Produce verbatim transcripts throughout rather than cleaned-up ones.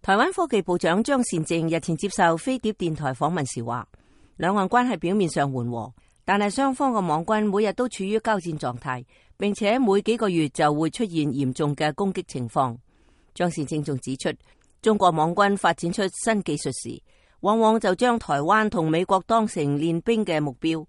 台灣科技部長張善政日前接受飛碟電台訪問時話，兩岸關係表面上緩和，但係雙方嘅網軍每日都處於交戰狀態，並且每幾個月就會出現嚴重嘅攻擊情況。張善政仲指出，中國網軍發展出新技術時，往往就將台灣同美國當成練兵嘅目標，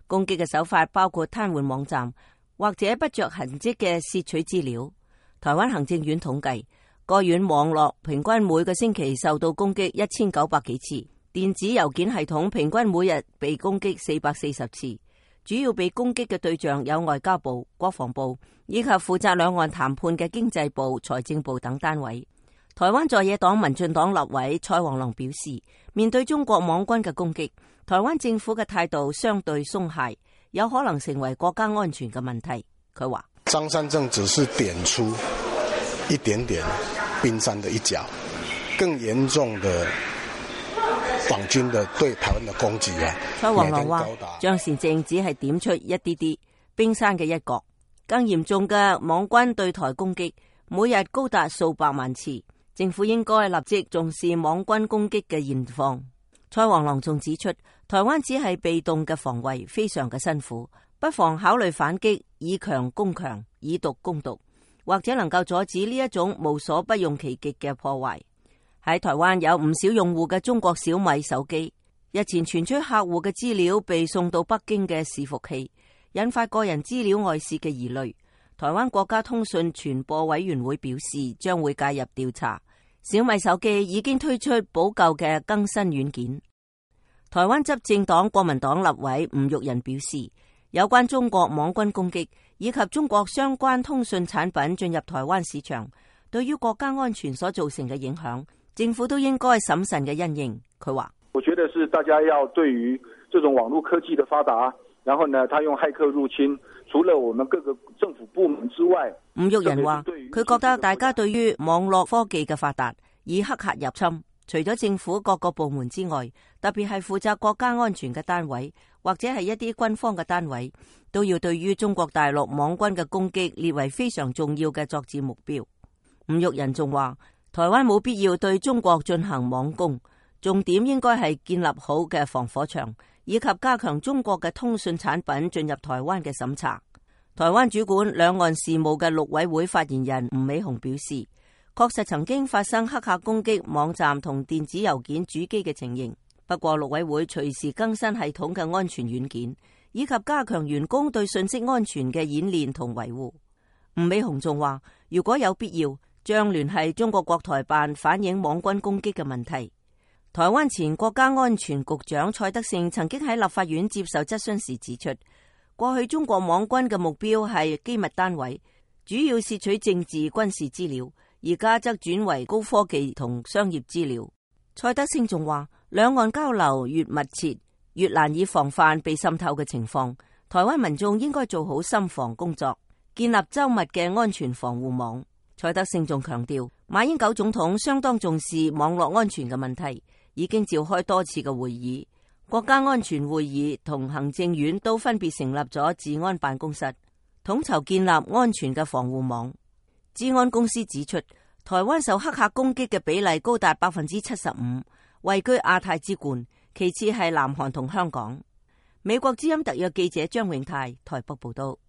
攻擊嘅手法包括癱瘓網站或者不着痕跡嘅竊取資料。台灣行政院統計，該院網絡平均每個星期受到攻擊一千九百幾次，電子郵件系統平均每日被攻擊四百四十次。主要被攻擊嘅對象有外交部、國防部以及負責兩岸談判嘅經濟部、財政部等單位。台灣在野黨民進黨立委蔡黃龍表示，面對中國網軍嘅攻擊，台灣政府嘅態度相對鬆懈，有可能成為國家安全嘅問題。佢話：張善政只是點出一點點冰山的一角，更嚴重的網軍的對台灣的攻擊啊！蔡黃龍話：張善政只係點出一啲啲冰山嘅一角，更嚴重嘅網軍對台攻擊每日高達數百萬次，政府應該立即重視網軍攻擊嘅現況。蔡黃龍仲指出，台灣只係被動嘅防衛，非常嘅辛苦，不妨考慮反擊，以強攻強，以毒攻毒，或者能夠阻止呢一種無所不用其極嘅破壞。喺台灣有唔少用戶嘅中國小米手機，日前傳出客戶嘅資料被送到北京嘅伺服器，引發個人資料外泄嘅疑慮。台灣國家通訊傳播委員會表示將會介入調查。小米手機已經推出補救嘅更新軟件。台灣執政黨國民黨立委吳育仁表示，有關中國網軍攻擊以及中國相關通訊產品進入台灣市場，對於國家安全所造成嘅影響，政府都應該審慎嘅因應。佢話：我覺得是大家要對於這種網絡科技的發達，然後呢，他用駭客入侵，除了我們各個政府部門之外，吳育仁話佢覺得大家對於網絡科技嘅發達，以黑客入侵，除咗政府各個部門之外，特別係負責國家安全嘅單位或者係一啲軍方嘅單位，都要對於中國大陸網軍嘅攻擊列為非常重要嘅作戰目標。吳育仁仲話，台灣冇必要對中國進行網攻，重點應該係建立好嘅防火牆，以及加強中國嘅通訊產品進入台灣嘅審查。台灣主管兩岸事務嘅陸委會發言人吳美雄表示，確實曾經發生黑客攻擊網站同電子郵件主機嘅情形，不過陸委會隨時更新系統嘅安全軟件，以及加強員工對信息安全嘅演練同維護。吳美雄仲話，如果有必要，將聯繫中國國台辦反映網軍攻擊嘅問題。台灣前國家安全局長蔡德勝曾經喺立法院接受質詢時指出，過去中國網軍嘅目標係機密單位，主要竊取政治軍事資料，而家則轉為高科技同商業資料。蔡德勝仲話，兩岸交流越密切，越難以防範被滲透嘅情況，台灣民眾應該做好心防工作，建立周密嘅安全防護網。蔡德勝仲強調，馬英九總統相當重視網絡安全嘅問題，已經召開多次嘅會議，國家安全會議同行政院都分別成立咗治安辦公室，統籌建立安全嘅防護網。治安公司指出，台灣受黑客攻擊嘅比例高達百分之七十五，位居亞太之冠，其次係南韓同香港。美國之音特約記者張永泰台北報道。